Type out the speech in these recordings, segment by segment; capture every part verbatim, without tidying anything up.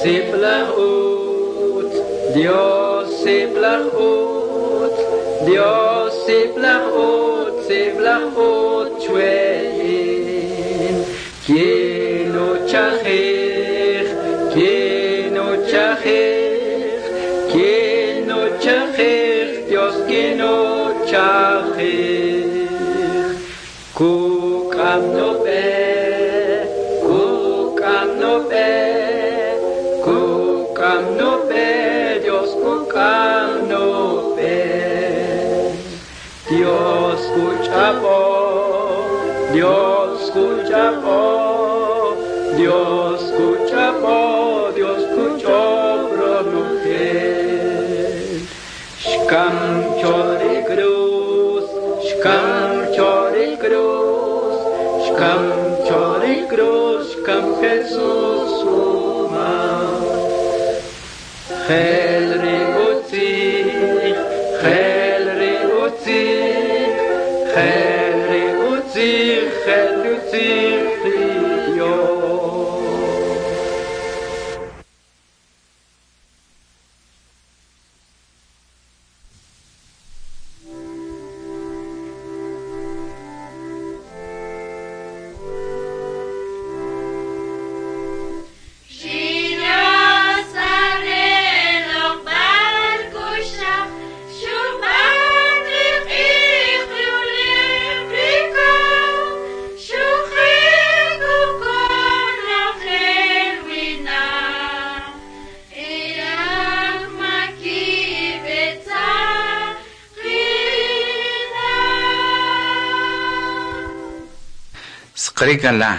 Sib'alaj utz, Dios sib'alaj utz, Dios sib'alaj utz, sib'alaj utz chwe in. Kinuchajij, kinuchajij, kinuchajij, Dios kinuchajij. Kuk'am nub'e, kuk'am nub'e, kuk'am nub'e, Dios kuk'am nub'e. Dios kuch'ab'o, Dios kuch'ab'o, Dios kuch'ab'o, Dios kuch'ob ronojel. Xkam cho ri cruz, xkam cho ri cruz, xkam cho ri cruz, xkam Jesús umal. Gel ri utzij, gel ri utzij, gel ri utzij, gel ri utzij ri Dios. Ri Dios are loq'b'al k'uxaj, xub'an ri q'ij, ri ulew, ri kaj, xuquje' konojel winaq, e ajmakib' e tzaqinaq. Sqarikala,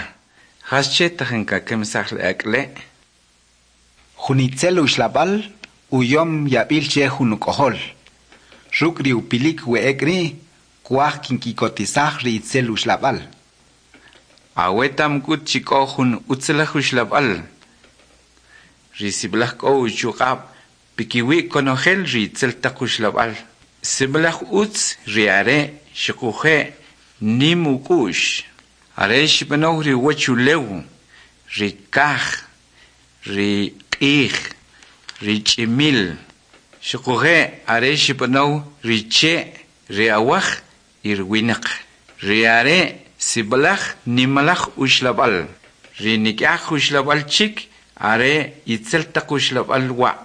jasche tajin kakemsaj le ak'le'? Jun itzel uxlab'al uyom yab'il che jun uk'ojol. Ruk' ri upilik we ek' ri' kuwaj kinki'kotisaj ri itzel uxlab'al. Awetam k'ut chi k'o jun utzalaj uxlab'al, ri sib'alaj k'o uchuq'ab' pikiwi' konojel ri itzel taq uxlab'al. Sib'alaj utz ri are' xuquje' nim uk'u'x. Are xb'anow ri uwachulew, ri kaj, ri q'ij, ri ch'imil. Xuquje' are xb'anow ri che', ri awaj y ri winaq. Ri are' sib'alaj nimalaj uxlab'al. Ri nik'aj uxlab'al chik are itzel taq uxlab'al wa'.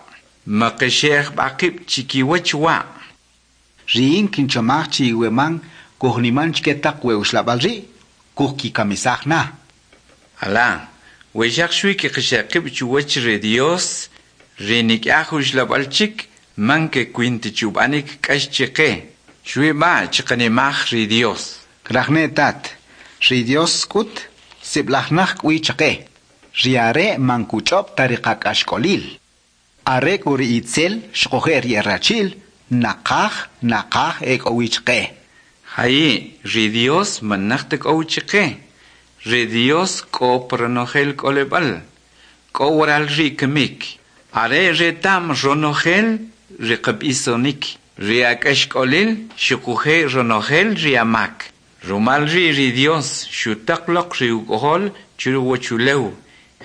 Maqixe'j b'a qib' chikiwach wa'. Ri in kinchomaj chi we man kujniman chike taq we uxlab'al ri', kujkikamisaj na. Ala, we xaq xwi kiqixe'j qib' chuwach ri Dios, ri nik'aj uxlab'al chik man kekwin ta chub'anik k'ax chiqe. Xwi b'a chiqanimaj ri Dios. Kraj ne tat, ri Dios k'ut sib'alaj naj k'o wi chaqe. Ri are' man kuch'ob' ta ri qak'axk'olil. Are k'u ri itzel xuquje' ri e rachi'l naqaj naqaj e k'o wi chaqe. Jayi', ri Dios man naj ta k'o wi chiqe. Ri Dios k'o pa ronojel k'olib'al, k'o waral ri' kamik. Are reta'm ronojel ri qab'isonik, ri ak'axk'olil xuquje' ronojel ri amak. Rumal ri' ri Dios xutaq loq ri uk'ojol churuwachulew,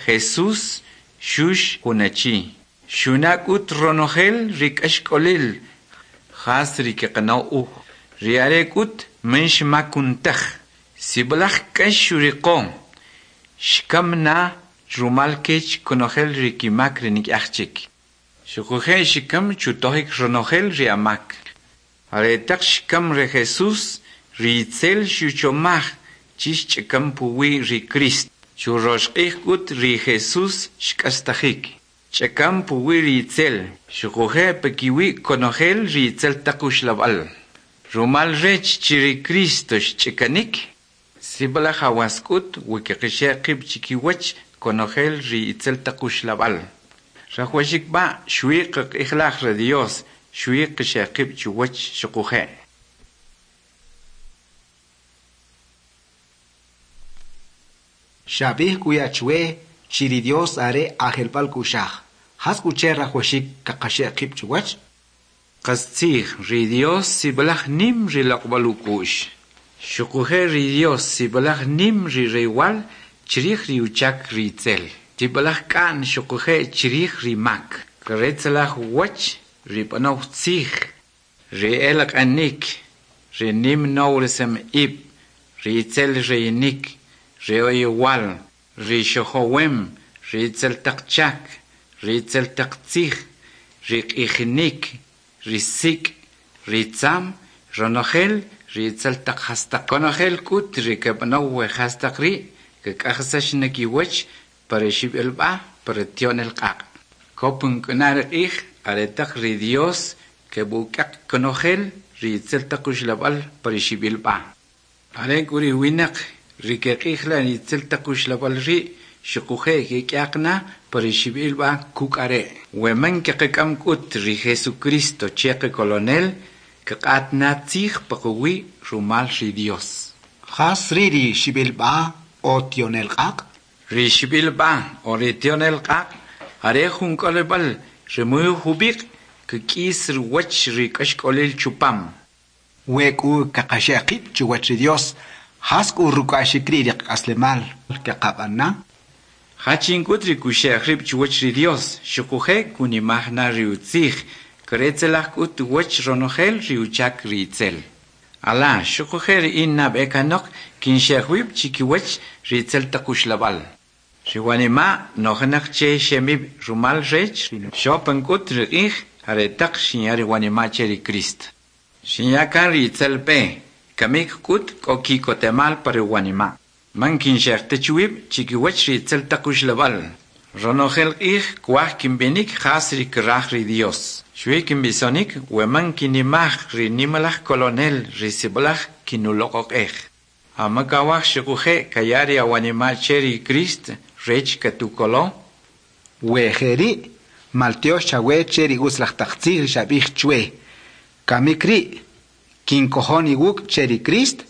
Jesús xux jun achi. Xuna' k'ut ronojel ri k'axk'olil jas ri kiqana' uj. Ri are' k'ut man xmakun taj. Sib'alaj k'ax xuriqo, xkam na rumal kech konojel ri kimak ri nik'aj chik. Xuquje' xikam chutojik ronojel ri amak. Aretaq xkam ri Jesús, ri itzel xuchomaj chi xch'akam puwi' ri Cristo. Churox q'ij k'ut ri Jesús xk'astajik. Ch'akam puwi' ri itzel, xuquje' pakiwi' konojel ri itzel taq uxlab'al. Rumal rech chi ri Cristo xch'akanik, sib'alaj awas k'ut we kiqixe'j qib' chikiwach konojel ri itzel taq uxlab'al. Rajwaxik b'a' xwi qaq'ijlaj ri Dios, xwi qixe'j qib' chuwach xuquje'. Xab'ij k'u ya chwe chi ri Dios are ajelb'al k'u'xaj. Jas k'u che rajwaxik kaqaxe'j qib' chuwach? Qastzij, ri Dios sib'alaj nim ri loq'b'al uk'u'x. Xuquje' ri Dios sib'alaj nim ri rewal chrij ri uchak ri itzel. Sib'alaj k'a'n xuquje' chrij ri mak. Kretzelaj uwach ri b'anow tzij, ri elaq'anik, ri nim nowrisem ib', ri itzel reyinik, ri oyowal, ri xojowem, ri itzel taq chak, ri itzel taq tzij, ri q'ijinik, ri sik', ri tzam, ronojel ri itzel taq jastaq. Konojel k'ut ri keb'anow we jastaq ri' kek'ajisax na kiwach pa ri xib'alb'a pa ri tyo'nel q'aq'. Kopon k'u na ri q'ij aretaq ri Dios keb'uk'aq konojel ri itzel taq uxlab'al pa ri xib'alb'a. Are k'u ri winaq ri keq'ijlan ri itzel taq uxlab'al ri' xuquje' kek'yaq na pa ri xib'alb'a kuk' are'. We man kaqak'am k'ut ri Jesucristo che qakolonel, kaq'at na tzij paqawi' rumal ri Dios. Jas ri' ri xib'alb'a o tyo'nel q'aq'? Ri xib'alb'a o ri tyo'nel q'aq' are jun k'olib'al ri muy jub'iq' kik'is ruwach ri k'axk'olil chupam. We k'u kaqaxe'j qib' chuwach ri Dios, jas k'u ruk'a'xik ri' ri qak'aslemal kaqab'an na? Jachin k'ut ri kuxe'j rib' chuwach ri Dios, xuquje' kunimaj na ri utzij, kretzelaj k'ut uwach ronojel ri uchak ri itzel. Ala, xuquje' ri in nab'e kanoq kinxe'j wib' chikiwach ri itzel taq uxlab'al. Ri wanima' nojinaq che xemib' rumal rech xopan k'ut ri q'ij aretaq xinya ri wanima' che ri Cristo. Xinya kan ri itzel b'e, kamik k'ut k'o ki'kotemal pa ri wanima'. Man kinxe'j ta chi wib' chikiwach ri itzel taq uxlab'al. Ronojel q'ij kuwaj kinb'inik jas ri kraj ri Dios. Xwi kinb'isonik we man kinimaj ri nimalaj kolonel ri sib'alaj kinuloq'oq'ej. Amakawaj xuquje' kaya ri awanima' che ri Cristo rech katukolo? We jeri', maltyox chawe che ri utzalaj taq tzij ri xab'ij chwe. Kamik ri' kinkojon iwuk' che ri Cristo,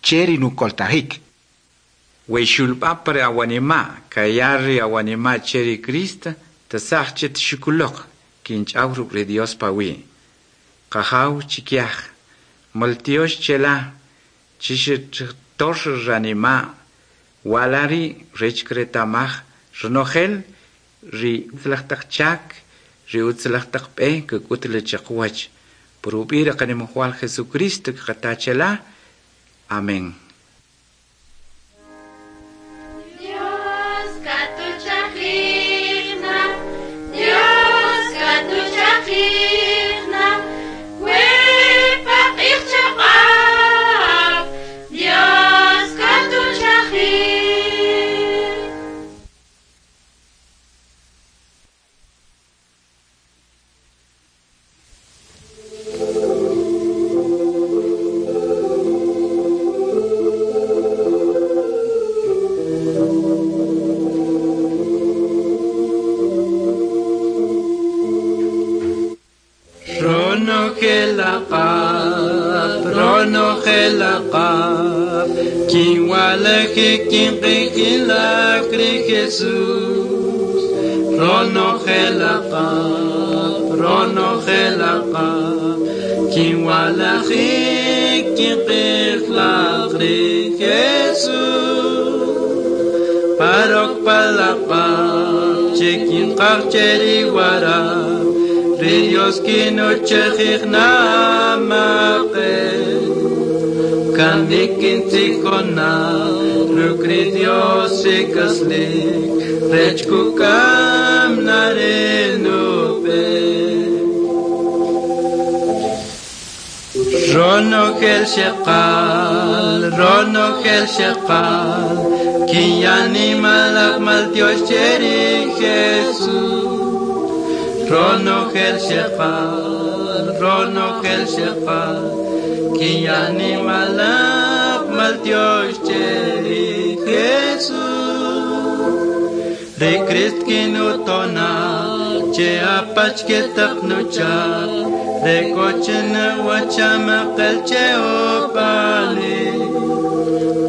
che ri nukoltajik. We xulb'a pa ri awanima' kaya ri awanima' che ri Cristo, tasaj chet xukuloq kinch'aw ruk' ri Dios pawi'. Qajaw chikyaj, maltyox chela, chixtor ranima' wala ri' rech kretamaj ronojel ri utzalaj taq chak, ri utzalaj taq b'e kek'ut le chaqwach. Por ub'i' ri qanimajwal Jesucristo kqata chela. Amén. Dios katuchajijna, Dios katuchajijna, we paq'ij chaq'ab', Dios katuchajij. Ronojel aq'ab', ronojel aq'ab', kinwalajik kinq'ijilak ri Jesús. Ronojel aq'ab', ronojel aq'ab', kinwalajik kinq'ijilak ri Jesús. Parok palaq'ab', che kinqaj che ri warab', ri Dios kinuchajij namaq'el. Kamik kintzijona, ruk' ri Dios ik'aslik, rech kuk'am na ri nub'e. Ronojel xeqal, ronojel xeqal, kinyanimalaj maltyox che ri Jesús. Ronojel xeqal, ronojel xeqal, kinyanimalaj maltyox che ri Jesús. Ri Crist kinutona, che apach ketaq nuchak, rekochen wachamaqel che opali.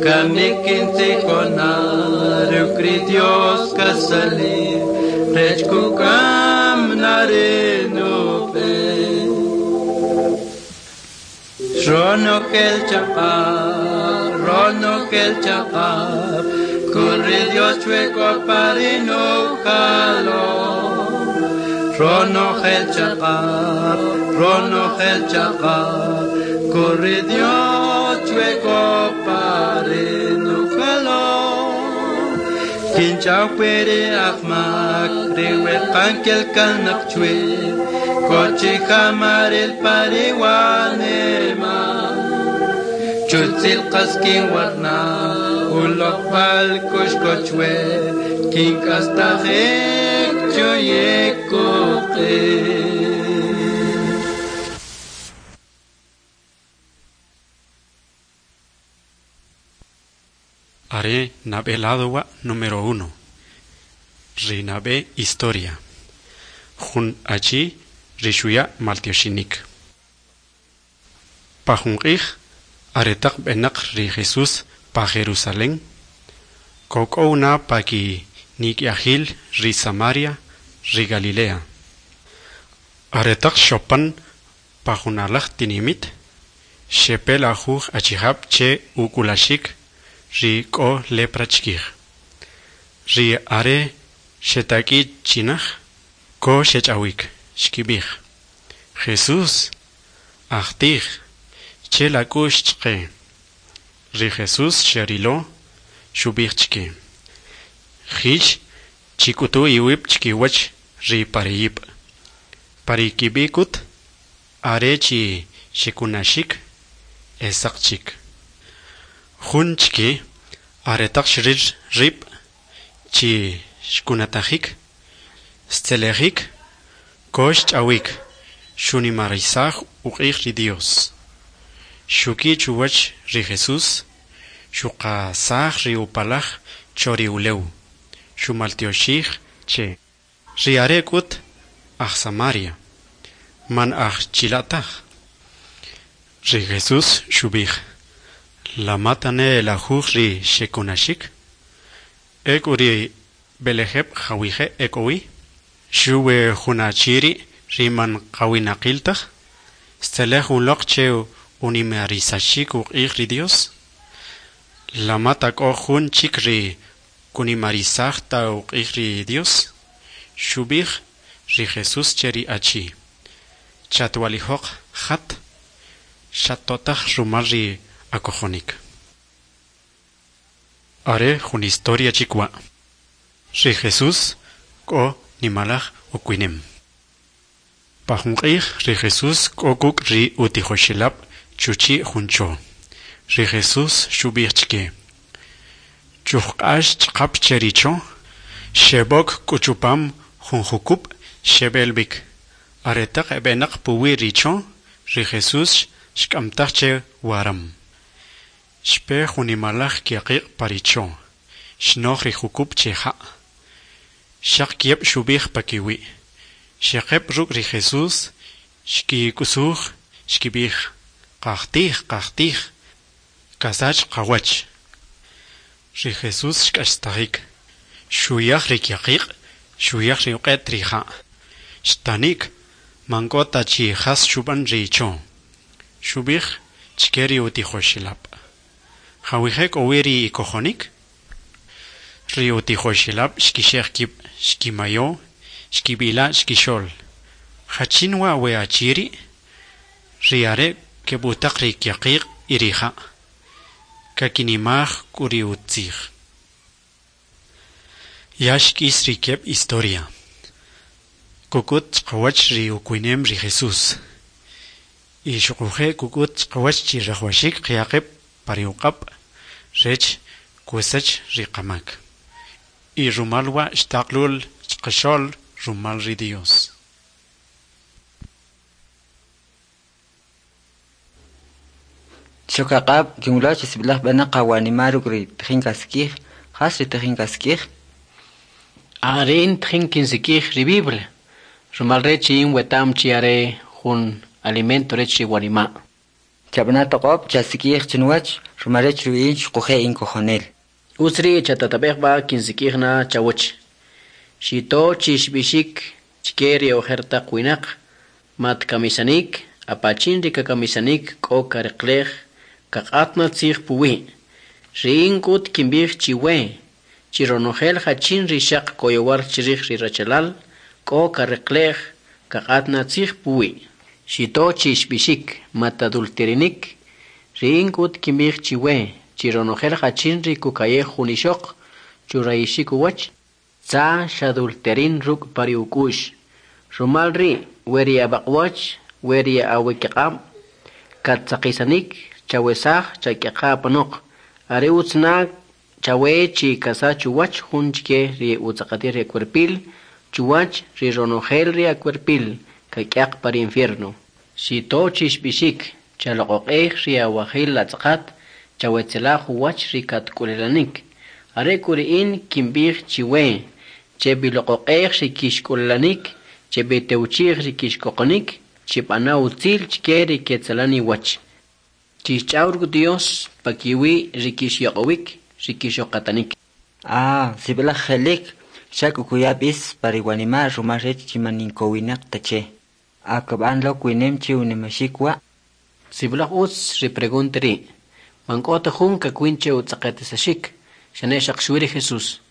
Kamik kintzijona, ruk' ri Dios kasali, rech kuk'am na ri nub'e. Ronojel chaq'ab', ronojel chaq'ab', Corre Dios chueco parino jalo. Ronojel chaqab, ronojel chaqab, corre Dios chueco parino jalo. Kinchaw pere akmak, riwe kankel kanak chwe, kochi jamarel pariwanema. Chutzil qaskin warna, ulokpal kushkochwe, kinkastajek choyekoqe. Are nab'eladowa número uno. Ri nab'e historia. Jun achi rixuya maltioxinik. Pa jun q'ij aretaq b'enaq ri Jesús pa Jerusalén, kok'ow na pa ki nik'yajil ri Samaria ri Galilea. Aretaq xopan pa junalaj tinimit, xepe lajuj achijab' che uk'ulaxik ri k'o lepra chkij. Ri are xetak'i chinaj, ko xech'awik, xkib'ij: Jesús, ajtij, che la k'u'x chqe. Ri Jesús xerilo, xub'ij chke: Jix chik'utu iwib' chkiwach ri pareyib'. Pari kib'i k'ut are chi xekunaxik e saq chik. Jun chke aretaq xril rib' chi xkunatajik, xtzelejik, ko xch'awik, xunimarisaj uq'ij ri Dios. Xuki chuwach ri Jesús, xuqasaj ri upalaj cho ri ulew, xumaltyoxij che. Ri are' k'ut aj Samaria, man aj chila' taj. Ri Jesús xub'ij: La matane lajuj ri xekunaxik? Ek'u ri b'elejeb' jawije' e k'o wi? Xuwi jun achi ri' ri man qawinaqil taj, xtzelej uloq che unimarisaxik uq'ij ri Dios? La mata k'o jun chik ri kunimarisaj ta uq'ij ri Dios? Xub'ij ri Jesús che ri achi: Chatwalijoq, jat, xatotaj rumal ri akojonik. Are jun historia chik wa'. Ri Jesús k'o nimalaj ukwinem. Pa jun q'ij ri Jesús k'o kuk' ri utijoxelab' chuchi' jun cho. Ri Jesús xub'ij chke: Chujq'ax ch'aqap che ri cho, xeb'ok k'u chupam jun jukub' xeb'el b'ik. Aretaq eb'enaq puwi' ri cho, ri Jesús xk'amtaj che waram. Xpe jun nimalaj kyaqiq' pa ri cho, xnoj ri jukub' che ja'. Xaq kieb' xub'ij pa kiwi'. Xeqeb' ruk' ri Jesús, xkik'usuj, xkib'ij: Qajtij, qajtij, kasach qawach. Ri Jesús xk'astajik, xuyaj ri kyaqiq', xuyaj ri uq'et ri ja'. Xtanik, man k'o ta chi jas xub'an ri cho. Xub'ij chke ri utijoxelab': Jawije' k'o wi ri ikojonik? Ri utijoxelab' xkixe'j kib', xkimayo, xkib'ila' chkixo'l: Jachin wa' we achi ri'? Ri are' keb'utaq ri kyaqiq' y ri ja', kakinimaj k'u ri utzij. Ya xk'is ri keb' historia. Kuk'ut chqawach ri ukwinem ri Jesús. Y xuquje' kuk'ut chqawach chi rajwaxik qyaqib' pa ri uq'ab' rech kusach ri qamak. Y rumal wa' xtaqlul chqaxo'l rumal ri Dios. Chokaq'ab' kinwilo chi sib'alaj b'enaq awanima' ruk' ri tijin kasik'ij, jas ri tijin kasik'ij? Are in tijin kinsik'ij ri Biblia, rumal rech in weta'm chi are jun alimento rech ri wanima'. Chab'ana toq'ob' chasik'ij chinuwach, rumal rech ri in xuquje' in kojonel. Utz ri' chatatab'ej b'a' kinsik'ij na chawach. Xito chi xb'ixik chke ri ojer taq winaq, mat kamisanik, apachin ri kakamisanik k'o kareqlej kaq'at na tzij puwi'. Ri in k'ut kinb'ij chiwe, Chi ronojel jachin ri xaq koyowar chrij ri rachalal, k'o kareqle'j kaq'at na tzij puwi'. Xito chi xb'ixik, Matadulterinik. Ri in k'ut kinb'ij chiwe chi ronojel jachin ri kuka'yej jun ixoq churayixik uwach, tza xadulterin ruk' pa ri uk'u'x. Rumal ri' we ri ab'aq'wach, we ri awikiq'ab' kattzaqisanik, chawesaj, chak'yaqa apanoq. Are utz na chawe chi kasach uwach jun chike ri utz'aqatil ri akwerpil, chuwach ri ronojel ri akwerpil kak'yaq pa ri infierno. Xito chi xb'ixik, chaloq'oq'ej ri awajil atz'aqat, chawetzelaj uwach ri katk'ulelanik. Are k'u ri in kinb'ij chiwe, cheb'iloq'oq'ej ri kixk'ulelanik, cheb'itewchi'j ri kixkoqonik, chib'ana utzil chike ri ketzelan iwach. Chixch'aw ruk' Dios pakiwi' ri kixyoq'owik, ri kixoqatanik. Ah, sib'alaj je'lik, xa k'u kuya b'is pa ri wanima' rumal rech chi man inkowinaq ta che. A kab'an lo kwinem che unimaxik wa'? Sib'alaj utz ri pregunta ri'. Man k'o ta jun kakwin che utz'aqatisaxik, xane xaq xwi ri Jesús.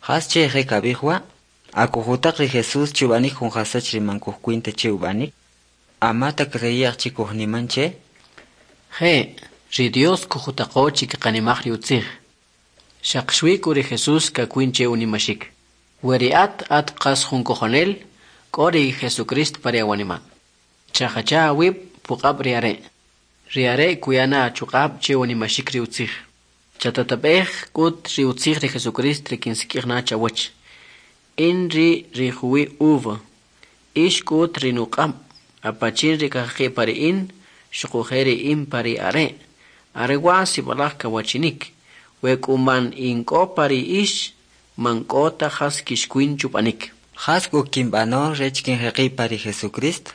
Jas che je kab'ij wa'? A kujutaq ri Jesús che ub'anik jun jasach ri man kujkwin ta che ub'anik? A ma ta kreye'j chi kujniman che? Je', ri Dios kujutaqo chi kaqanimaj ri utzij. Xaq xwi k'u ri Jesús kakwin che unimaxik. We ri at at qas jun kojonel, k'o ri Jesucristo pa ri awanima'. Chajacha awib' puq'ab' ri Are'. Ri Are' kuya na achuq'ab' che unimaxik ri utzij. Chatatab'ej k'ut ri utzij ri Jesucristo ri kinsik'ij na chawach. In ri' ri juwi' uva, ix k'ut ri nuq'ab', apachin ri kajaqi' pa ri in, xuquje' ri in pa ri Are'. Are wa' sib'alaj kawachinik. We k'u man in k'o pa ri ix, man k'o ta jas kixkwin chub'anik. Jas k'u kinb'ano rech kinjeqi' pa ri Jesucristo?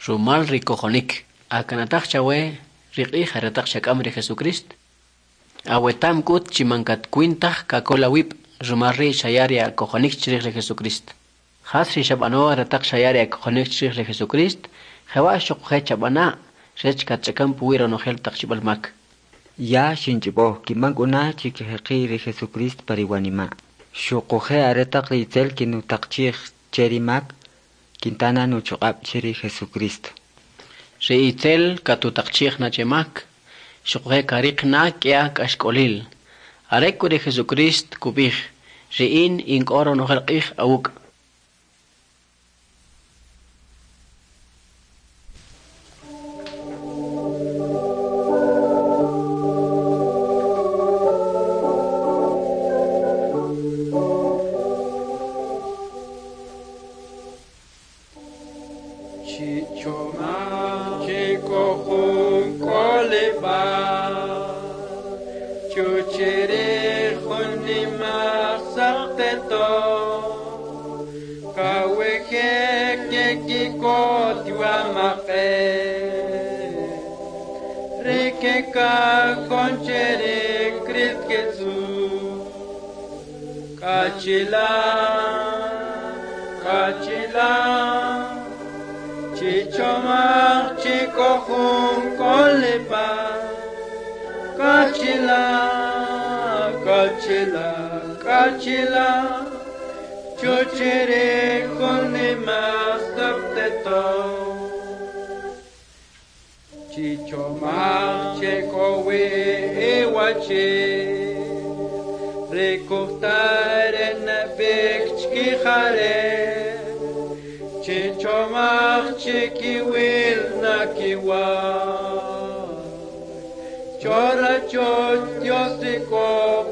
Rumal ri kojonik. A kanataj chawe ri q'ij aretaq xak'am ri Jesucristo? Awetam k'ut chi man katkwin taj kakol awib' rumal ri' xaya ri akojonik chrij ri Jesucristo. Jas ri xab'ano aretaq xaya ri akojonik chrij ri Jesucristo, jewa' xuquje' chab'ana' rech katch'akan puwi' ronojel taq xib'al mak. Ya xinch'ob'o kinb'an k'u na chi kajeqi' ri Jesucristo pa ri wanima'. Xuquje' aretaq ri itzel kinutaqchi'j che ri mak, kinta na nuchuq'ab' che ri Jesucristo. Ri itzel katutaqchi'j na che mak, xuquje' kariq na k'ia k'axk'olil. Are k'u ri Jesucristo kub'ij, ri in in k'o ronojel q'ij awuk'. Chichoma chikohun koleba Chuchere junima sakteto Kaweje kekiko tiwamake Rikeka konchere Christ Jesus Kachila Kachila Chichomach chikohun kolepa Kachila, kachila, kachila Chuchere konima sapteto Chichomach chikowe ewache Rikuhtaren bek chkihare Chichomach chikiwil nakiwa Chora choch Dios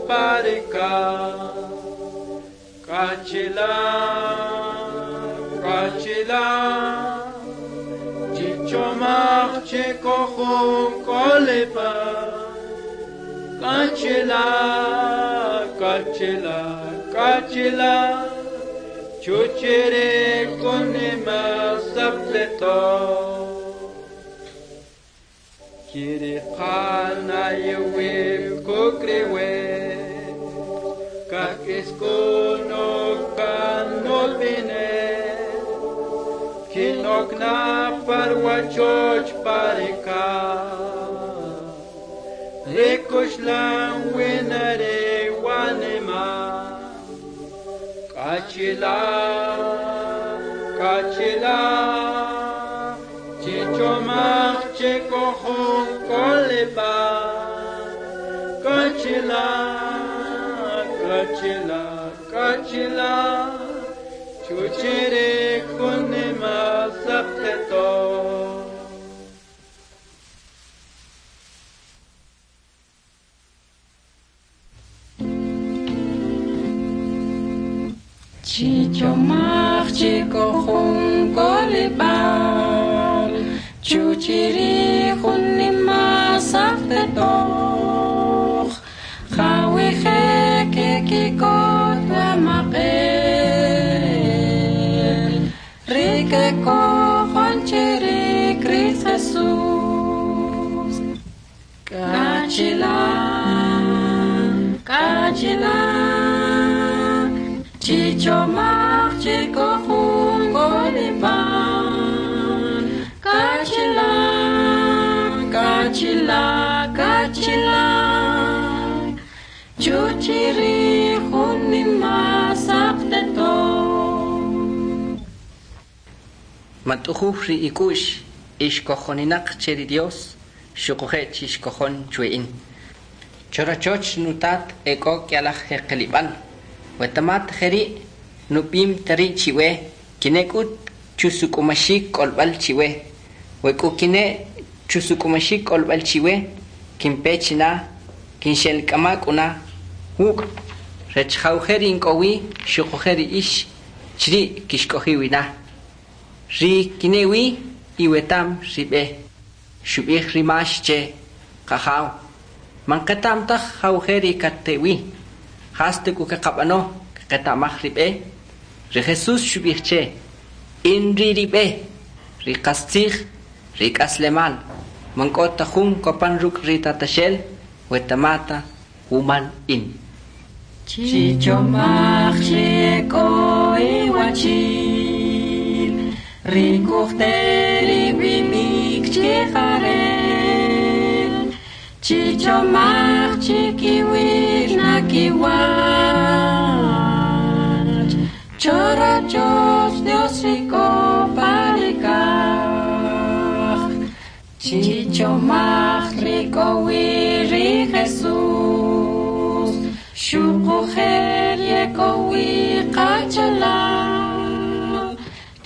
parika Kachila, kachila Chichomach chikohun kolepa Kachila, kachila, kachila Chuchere konima sapleto Kiri qana yewib kukriwe Kakiskuno kanolbine Kinokna parwachoch parika Rikushlan winare wanema Kachila, kachila, chichomach chikochon koleba. Kachila, kachila, kachila, chuchere kunima sakteto. Chichomach chikochon kolibal, chuchiri junima saktetoch, jawiche kikikot amaqel, rike kochon chiri Christ Jesus. Kachila, kachila, chichomach chikochon kolibal, kachila, kachila, kachila, chuchiri junima sakteto. Matujuj ri ikush ixkojoninaq che ri Dios, xuquje' chixkojon chwe'in. Chorochoch nutat eko k'yalaj jeqelib'al. Wetamat jeri nupim tari chiwe, kinek'ut chusuk'umaxik k'olb'al chiwe. Wek'u kine chusuk'umaxik k'olb'al chiwe, kinpechina, kinxelk'ama k'una, wuk' rech jawje ink'owi xuquje' ri ix chri kixk'ojiwina. Ri kinewi iwetam rib'e. Xub'ij rimax che qajaw. Man qetam taj jawje ri kattewi. Jaste k'u keqab'ano keqetamaj rib'e. Ri Jesús xub'ij che in ri rib'e, ri qastzij, ri k'aslemal. Man k'o ta jun kopan ruk' ri tataxel, wetamata wumal in. Chichomach chiko iwachil, rikuchteri bimik chijarel. Chichomach chikiwir nakiwach, chorochoch Dios riko parikaj. Chichomach rikowir ri Jesús, xuquje' yekowi qachalal.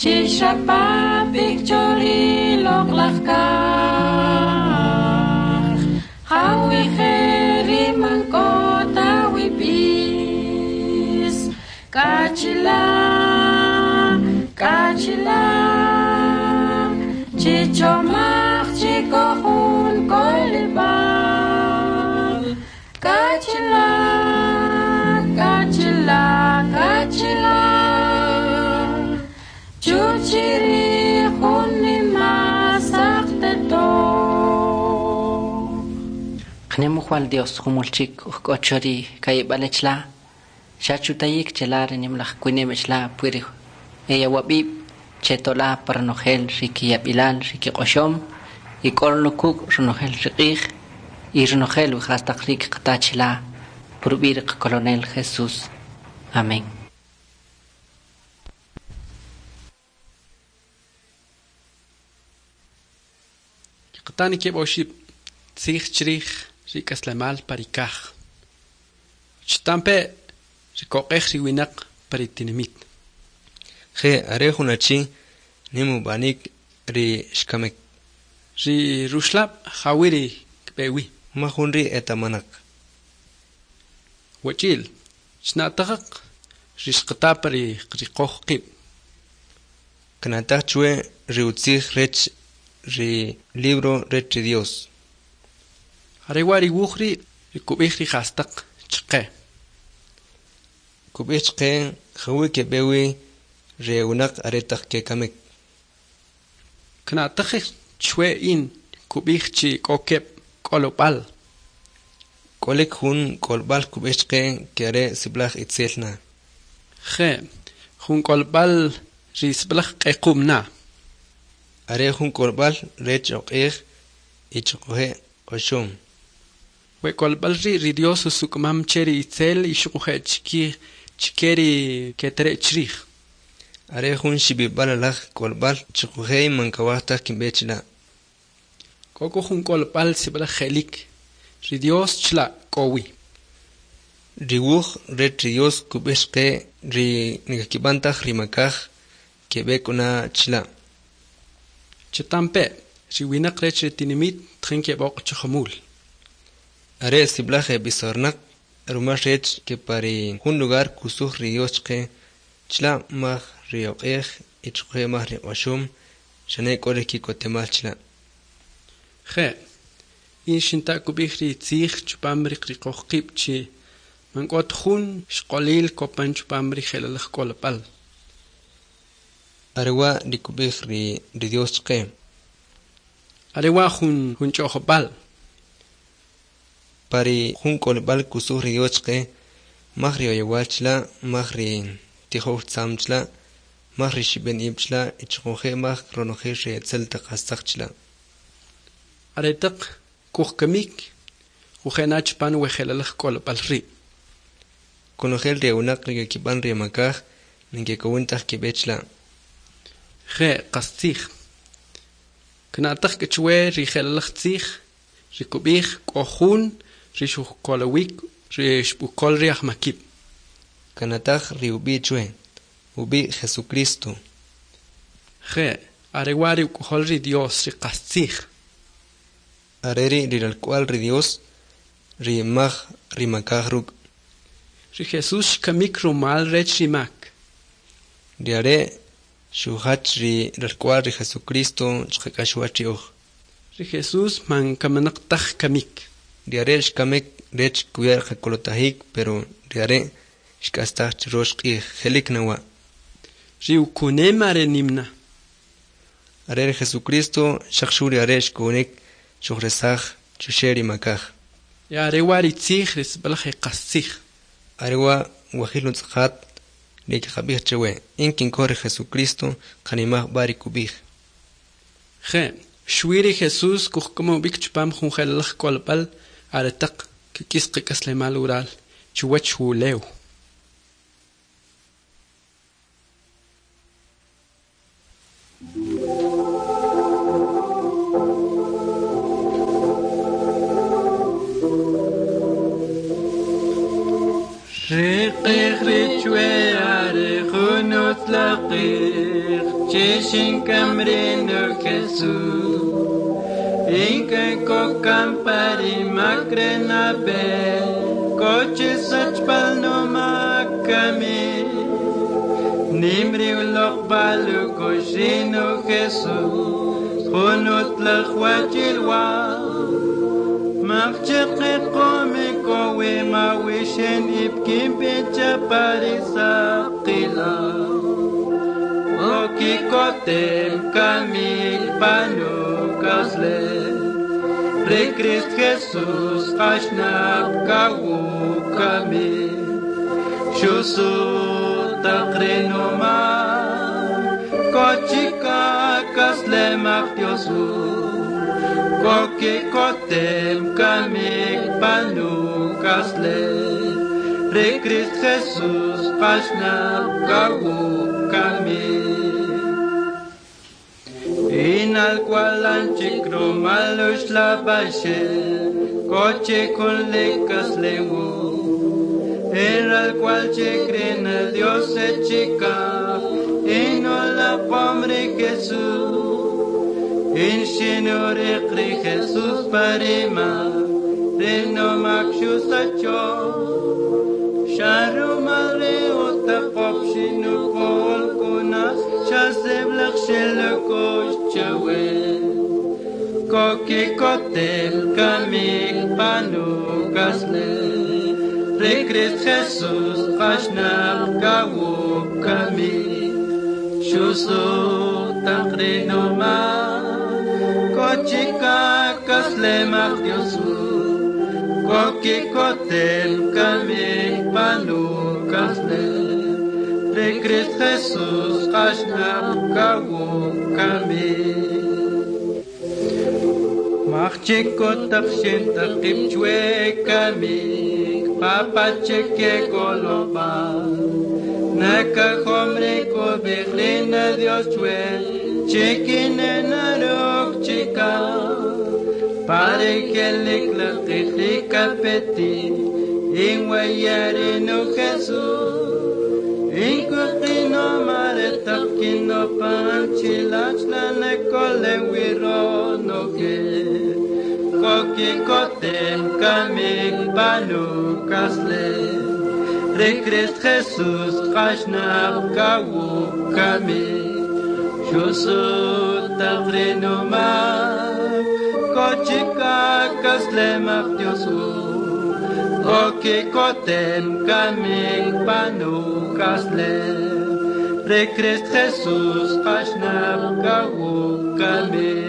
Chixrapapik chori loqlaj kaj, jawije ri man k'o ta wi b'is. Kachila, kachila, chichomach chikojun kolibal. Kachila, kachila, kachila, chuchiri junima sakteto. Qnemujual Dios jumulchik ujk'ochori kayib'alechla, xachutayik chelare nimlaj kwinimechla pwiri eyawab'ib' chetola parnojel rikiyab'ilal rikiq'oxom ik'orlukuk ronojel riq'ij y ronojel wijastaqrik qatachila purb'ir Colonel Jesús. Amén. Qatani keb' oxib' tzij chrij ri k'aslemal parikaj. Chtampe rikoq'ej ri winaq paritinimit. Je are jun achi nim ub'anik ri xkamek. Ri ruxlab' jawiri kb'ewi. Ma jun ri' etamanaq. Wach'il, chna'taqaq ri xqatapa ri riqoj qib'. Knataj chwe ri utzij rech ri libro rech ri Dios. Are wa ri wuj ri' ri kub'ij ri jastaq chqe. Kub'ij chqe jawi keb'ewi ri winaq aretaq kekamek. Kna'taj chwe in kub'ij chi k'o keb' k'olob'al. K'olik jun k'olb'al kub'ij chqe ke are sib'alaj itzel na. Je, jun k'olb'al ri sib'alaj q'equm na. Are jun k'olb'al rech oq'ej y choqoje' q'oxom. We k'olb'al ri' ri Dios usuk'umam che ri itzel y xuquje' chikij Chike ri ketere' chrij. Are jun xib'ib'al alaj k'olb'al xuquje' man kawaj taj kinb'e chila'. K'o k'u jun k'olb'al sib'alaj je'lik, ri Dios chila' k'o wi. Ri wuj rech ri Dios kub'ij chqe ri nikakib'an taj ri makaj keb'e k'u na chila'. Chitampe', ri winaq rech ri tinimit tjin keb'oq' chi jumul. Are sib'alaj eb'isornaq rumal rech ke pa ri jun lugar kusuj ri Dios chqe chila' maj ri oq'ej y xuquje' maj ri q'oxom xane k'o ri ki'kotemal chila'. Je', in xinta' kub'ij ri tzij chupam ri riqoj qib' chi man k'ot jun xq'olil kopan chupam ri je'lalaj k'olb'al. Are wa' ri kub'ij ri ri Dios chqe. Are wa' jun jun ch'o'jb'al. Pa ri jun k'olb'al kusuj ri Dios chqe maj ri oyowal chila', maj ri tijow tzam chila', maj ri xib'en ib' chila' y xuquje' maj ronojel ri etzel taq jastaq chila'. Aretaq kujkamik kuje'na chupan we je'lalaj k'olb'al ri'. Konojel ri winaq ri kakib'an ri makaj ninkekowin taj keb'e chila'. Je' qastzij. Kna'taj k'u chwe ri je'lalaj tzij ri kub'ij k'o jun ri xujkolowik ri xb'ukol ri ajmakib'. Kanataj ri ub'i' chwe, ub'i' Jesucristo. Je', are wa' ri uk'ojol ri Dios ri qastzij. Are ri' ri ralk'wa'l ri Dios ri maj ri makaj ruk'. Ri Jesús xkamik rumal rech ri mak. Ri are' xujach ri ralk'wa'l ri Jesucristo chqak'axwach ri oj. Ri Jesús man kamanaq taj kamik. Ri are' xkamik rech kuya' qakolotajik, pero ri are' xk'astaj churox q'ij je'lik na wa'. Ri ukunem are nim na. Are ri Jesucristo xaq xu ri are' xkowinik xujresaj chuxe' ri makaj. Are wa' ri tzij ri sib'alaj qastzij. Are wa' wajil utz'aqat ri kaqab'ij chewe in kinkoj ri Jesucristo qanimaj b'a ri kub'ij. Je', xwi ri Jesús kujk'am ub'ik chupam jun je'lalaj k'olb'al aretaq kik'is qak'aslemal ural chuwach wulew. Riqij richwe are junut laqij Chishin kamrino Jesús Inke kokam pari makrena be Koche sachpal no makami Nimri ulok balu koshino Jesús Junut laqwachilwa Machqe qome kowe mawishen ibkim pecha parisaqila Okikotem kamil panu kasle Re Christ Jesus qashnab kawu kamil Shusu taqrenoma Kochika kasle maqtiosu Koki kotem kamik panu kasle Re Christ Jesus qashnab kawu kamil Inal kualanchik romalush la bashel Koche con lecas lewu Era el cual che creen el Dios se chica Y no la pombre Jesús In shinur iqri Jesús parima Reno makshu sacho Sharu malre otaqop shinu kol kunas Shaseblach shelokosh chawe Koki kotel kamik panu kasle Re Christ Jesus qashnab kawu kami Shusu taqrinoma Kochika kasle maqtiosu Koki kotel kamik panu kasle Re Christ Jesus qashnab kawu kami Machikot taqshin taqib chwe kamik Papacheke koloba Naka hombre ko behlina Dios chue Chikine narok chika Pare que le klaqi peti Ingwayari no Jesús Inkuqino mare tapkino panchilachla ne kole wiro no ke Kokikoten kamik panu kasle Re Christ Jesus kashnap kawu kami Shusu tagrinuma Kochika kasle mak Diosu Kokikoten kamik panu kasle Re Christ Jesus kashnap kawu kami